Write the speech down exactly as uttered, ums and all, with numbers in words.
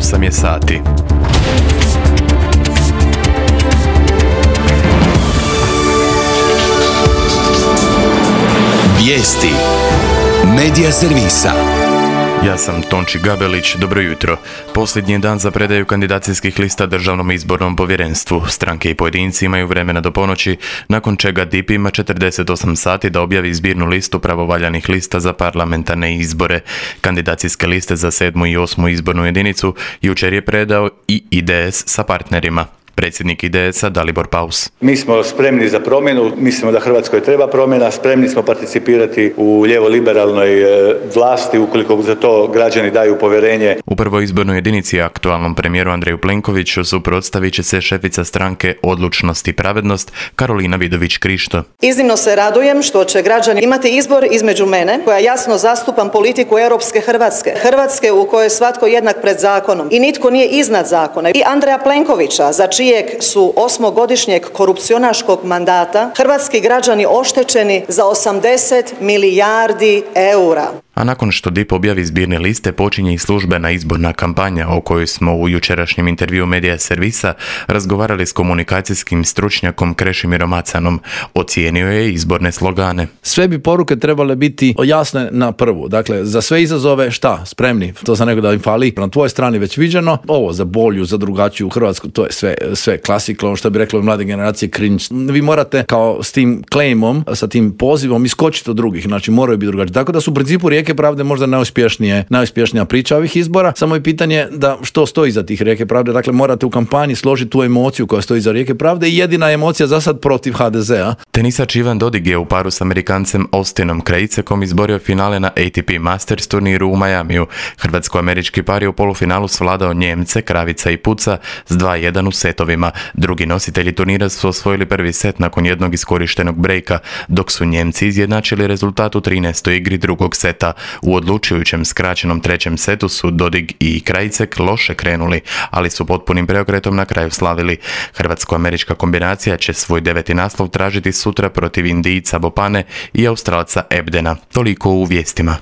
osam je sati. Vijesti Medija servisa. Ja sam Tonči Gabelić, dobro jutro. Posljednji dan za predaju kandidacijskih lista Državnom izbornom povjerenstvu. Stranke i pojedinci imaju vremena do ponoći, nakon čega D I P ima četrdeset osam sati da objavi zbirnu listu pravovaljanih lista za parlamentarne izbore. Kandidacijske liste za sedmu i osmu izbornu jedinicu jučer je predao i I D S sa partnerima. Predsjednik I D S-a Dalibor Paus. Mi smo spremni za promjenu, mislimo da Hrvatskoj treba promjena, spremni smo participirati u lijevo-liberalnoj vlasti ukoliko za to građani daju povjerenje. U prvoj izbornoj jedinici aktualnom premijeru Andreju Plenkoviću suprotstavit će se šefica stranke Odlučnost i pravednost Karolina Vidović-Krišto. Iznimno se radujem što će građani imati izbor između mene, koja jasno zastupam politiku europske Hrvatske, Hrvatske u kojoj je svatko jednak pred zakonom i nitko nije iznad zakona, i Andreja Plenkovića, za čijeg su osmogodišnjeg korupcionaškog mandata hrvatski građani oštećeni za osamdeset milijardi eura. A nakon što D I P objavi zbirne liste, počinje i službena izborna kampanja o kojoj smo u jučerašnjem intervjuu Medija servisa razgovarali s komunikacijskim stručnjakom Krešimirom Macanom. Ocijenio je izborne slogane. Sve bi poruke trebale biti jasne na prvu. Dakle, za sve izazove šta? Spremni. To sam rekao da im fali. Na tvojoj strani već viđeno. Ovo za bolju, za drugačiju Hrvatsku, to je sve, sve klasika, ono što bi reklo mlade generacije cringe. Vi morate kao s tim claimom, sa tim pozivom iskočiti od drugih. Znači, moraju biti drugačiji. Tako da su u principu Rijeke pravde možda najuspješnije, najuspješnija priča ovih izbora. Samo je pitanje da što stoji iza tih Rijeke pravde. Dakle, morate u kampanji složiti tu emociju koja stoji iza Rijeke pravde i jedina emocija za sad protiv H D Z-a. Tenisač Ivan Dodig je u paru s Amerikancem Austinom Krajicekom izborio finale na A T P Masters turniru u Majamiju. Hrvatsko-američki par je u polufinalu svladao Njemce, Kravica i Puca s dva jedan u setovima. Drugi nositelji turnira su osvojili prvi set nakon jednog iskorištenog brejka, dok su Njemci izjednačili rezultat u trinaestoj igri drugog seta. U odlučujućem skraćenom trećem setu su Dodig i Krajicek loše krenuli, ali su potpunim preokretom na kraju slavili. Hrvatsko-američka kombinacija će svoj deveti naslov tražiti sutra protiv Indijca Bopane i Australca Ebdena. Toliko u vijestima.